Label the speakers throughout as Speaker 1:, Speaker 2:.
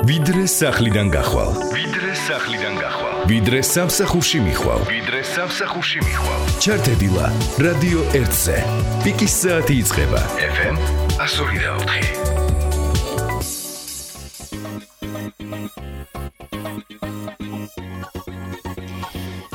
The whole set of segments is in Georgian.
Speaker 1: ვიდრე სახლიდან გახვალ. ვიდრე სამსახურში მიხვალ. ჩართედილა რადიო 1-ზე. პიკის საათი იწყება. FM 102.4.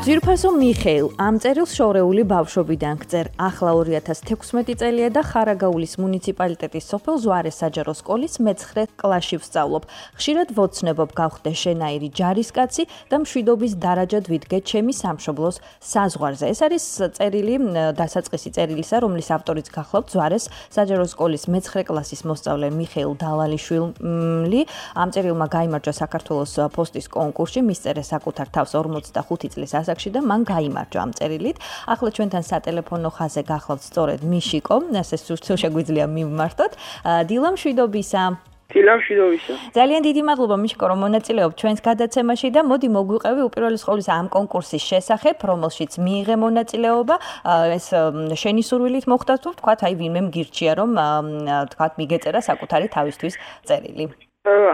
Speaker 2: ძვირფასო მიხეილ ამ წერილს შორეული ბავშვობიდან გწერ. ახლა 2016 წელია და ხარაგაულის მუნიციპალიტეტის სოფელ ზვარეს საჯარო სკოლის მე-9 კლასში ვსწავლობ. ხშირად ვოცნებობ გავხდე შენაირი ჯარისკაცი და მშვიდობის დარაჯად ვიდგე ჩემი სამშობლოს საზღვარზე. ეს არის წერილი, დასაწყისი წერილისა, რომლის ავტორიც გახლავთ ზვარეს საჯარო სკოლის მე-9 კლასის მოსწავლე მიხეილ დავალიშვილი. ამ წერილმა გაიმარჯვა საქართველოს პოსტის კონკურსში, მისწერე საკუთარ თავს 45 წლის ასაკში და მან გაიმარჯვა ამ წერილით. ახლა ჩვენთან სატელეფონო ხაზზე გახლავთ სწორედ მიშიკო, ასე სულ შეგვიძლია მივმართოთ. დილა მშვიდობისა. ძალიან დიდი მადლობა მიშიკო, რომ მონაწილეობ ჩვენს გადაცემაში და მოდი მოგვიყევი უპირველეს ყოვლისა ამ კონკურსის შესახებ, რომელშიც მიიღე მონაწილეობა. ეს შენი სურვილით მოხდა თუ ვთქვათ, აი ვინმე მგირჩია რომ ვთქვათ მიგეწერა საკუთარი თავისთვის წერილი.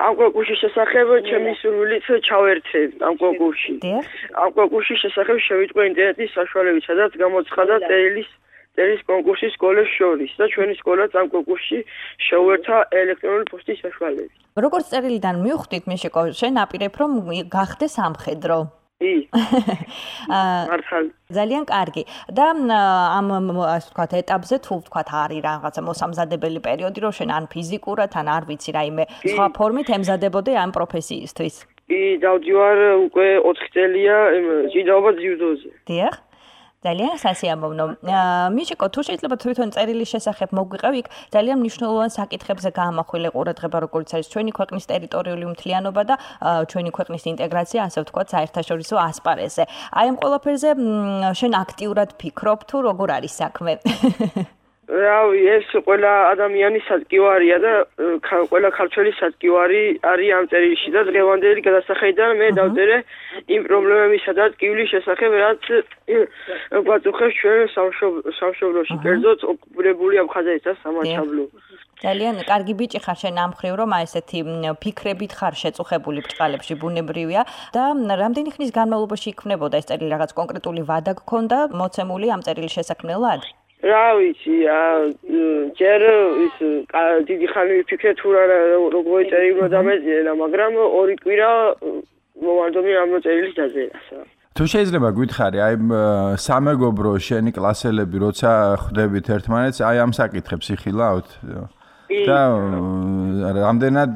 Speaker 3: ამ კონკურსის შესახებ ჩემი სურვილით ჩავერთე ამ კონკურსში. ამ კონკურსის შესახებ შევიტყვე ინტერნეტის საშუალებით, სადაც გამოცხადა წერილის კონკურსი სკოლებს შორის და ჩვენი სკოლაც ამ კონკურსში შეუერთა ელექტრონული პოსტის საშუალებით.
Speaker 2: როგორც წერილიდან მივხვდით, მიშიკო, შენ აპირებ რომ გახდე სამხედრო.
Speaker 3: მართალი.
Speaker 2: ძალიან კარგი. და ამ ასე ვთქვათ ეტაპზე თუ ვთქვათ არის რაღაცა მოსამზადებელი პერიოდი, რომ შენ ან ფიზიკურად, ან არ ვიცი რაიმე სხვა ფორმით ემზადებოდე ამ პროფესიისთვის.
Speaker 3: დავდივარ უკვე 4 წელია ჭიდაობა ძიუდოზე.
Speaker 2: დიახ. ძალიან სასიამოვნო. მიშიკო, თუ შეიძლება თვითონ წერილის შესახებ მოგვიყევი, იქ ძალიან მნიშვნელოვან საკითხებზე გაამახვილე ყურადღება, როგორც არის ჩვენი ქვეყნის ტერიტორიული უმთლიანობა და ჩვენი ქვეყნის ინტეგრაცია, ასე ვთქვათ, საერთაშორისო ასპარეზზე. აი ამ ყველაფერზე შენ აქტიურად ფიქრობ თუ როგორ არის საქმე?
Speaker 3: რავი, ეს ყველა ადამიანის სადგივარია და ყველა ქართველის სადგივარი არის ამ წერილში და დღევანდელი გადასახედიდან მე დავწერე იმ პრობლემებისა და ტკივილის შესახებ, რაც გვაწუხებს ჩვენ სამშობლოში, კერძოდ ოკუპირებული აფხაზეთის და სამაჩაბლო.
Speaker 2: ძალიან კარგი ბიჭი ხარ შენ ამ მხრივ, რომ ესეთი ფიქრებით ხარ შეწუხებული ბრჭყალებში, ბუნებრივია და რამდენი ხნის განმავლობაში იქმნებოდა ეს წერილი, რაღაც კონკრეტული ვადა გქონდა მოცემული ამ წერილის შესაქმნელად?
Speaker 3: რა ვიცი, ჯერ ის დიდი ხანი ვიფიქრე თუ როგორ წერილო დამეწერა, მაგრამ 2 კვირა მომანდომი ამ წერილის დაწერა.
Speaker 4: თუ შეიძლება გითხარი, აი სამეგობრო შენი კლასელები როცა ხვდებით ერთმანეთს, აი ამ საკითხებს იხილავთ? და რამდენად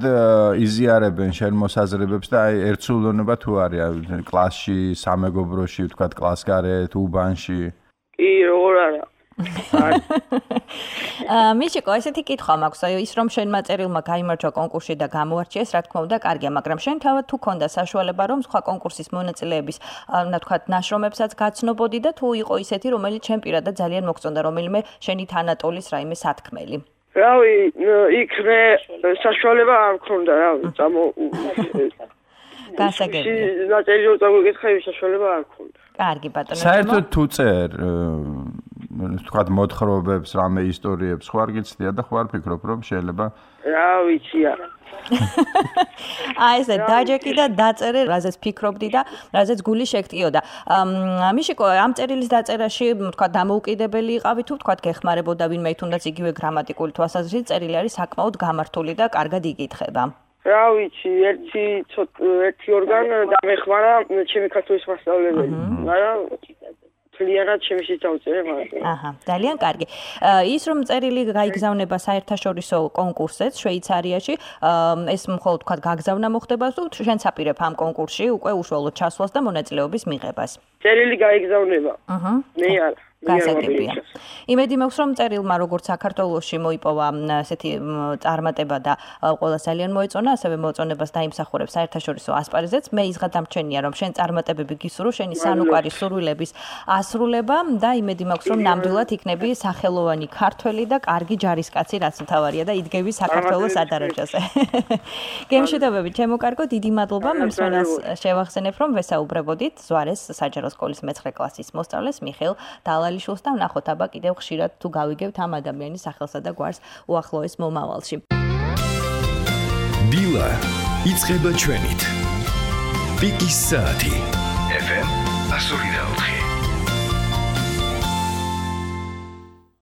Speaker 4: იზიარებენ შენ მოსაზრებებს და აი ერთსულოვნება თუ არის კლასში, სამეგობროში, ვთქვათ, კლასგარეთ, უბანში?
Speaker 3: კი, როგორ არა.
Speaker 2: მიშიკო, ესეთი კითხვა მაქვს, ის რომ შენმა წერილმა გაიმარჯვა კონკურსში და გამოარჩიეს, რა თქმა უნდა, კარგია, მაგრამ შენ თავად თუ ქონდა საშუალება, რომ სხვა კონკურსის მონაწილეების, ვთქვათ, ნაშრომებსაც გაცნობოდი და თუ იყო ისეთი, რომელიც შენ პირადად ძალიან მოგწონდა, რომელიმე შენი თანატოლის რაიმე სათქმელი?
Speaker 3: რავი, იქ მე საშუალება არ მქონდა, რავი,
Speaker 2: გასაგებია.
Speaker 3: ნაწერიო წამოგეთხები საშუალება არ მქონდა.
Speaker 2: კარგი ბატონო.
Speaker 4: საერთოდ თუ წერ ვთქვათ მოთხრობებს, რამე ისტორიებს ხوار გიცდია და ხوار ფიქრობ რომ შეიძლება
Speaker 3: რა ვიცი არა.
Speaker 2: აი ესე დაჯექი და დაწერე, რაზეც ფიქრობდი და რაზეც გული შეგტიოდა. მიშიკო, ამ წერილის დაწერაში, ვთქვათ, დამოუკიდებელი იყავი თუ ვთქვათ, გეხმარებოდა ვინმე თუნდაც იგივე გრამატიკული თვალსაზრისით, წერილი არის საკმაოდ გამართული და კარგად იგითხება.
Speaker 3: რა ვიცი, ერთი ორგან დამეხმარა ჩემი ქართულის მასწავლებელი, მაგრამ ძალიანად შემიშიც დავწერე მაგრამ.
Speaker 2: აჰა, ძალიან კარგი. ის რომ წერილი გაიგზავნება საერთაშორისო კონკურსზე შვეიცარიაში, ეს მხოლოდ თქვა გაგზავნა მოხდება თუ შენც აპირებ ამ კონკურსში უკვე უშუალოდ ჩასვლას და მონაწილეობის მიღებას?
Speaker 3: წერილი გაიგზავნება. მე არა.
Speaker 2: გასაგებია. იმედი მაქვს, რომ წერილმა როგორც საქართველოში მოიპოვა ესეთი წარმატება და ყველას ძალიან მოეწონა, ასევე მოწონებას დაიმსახურებს საერთაშორისო ასპარეზზეც. მე იზღა დამჩენია, რომ შენ წარმატებები გისურვო, შენი სანუკვარი სურვილების ასრულება და იმედი მაქვს, რომ ნამდვილად იქნები სახელოვანი ქართველი და კარგი ჯარისკაცი, რაც მთავარია და იდგები საქართველოს სადარაჯოზე. გემშვიდობებით, ჩემო კარგო, დიდი მადლობა. მსმენელს შევახსენებ, რომ ვესაუბრებოდით ზვარეს საჯარო სკოლის მე-9 კლასის მოსწავლეს მიხეილ დავალიშვილს და ვნახოთ აბა კიდევ ხშირად თუ გავიგებთ ამ ადამიანის სახელსა და გვარს უახლოეს მომავალში.
Speaker 1: დილა იწყება ჩვენით. პიკის საათი FM 104.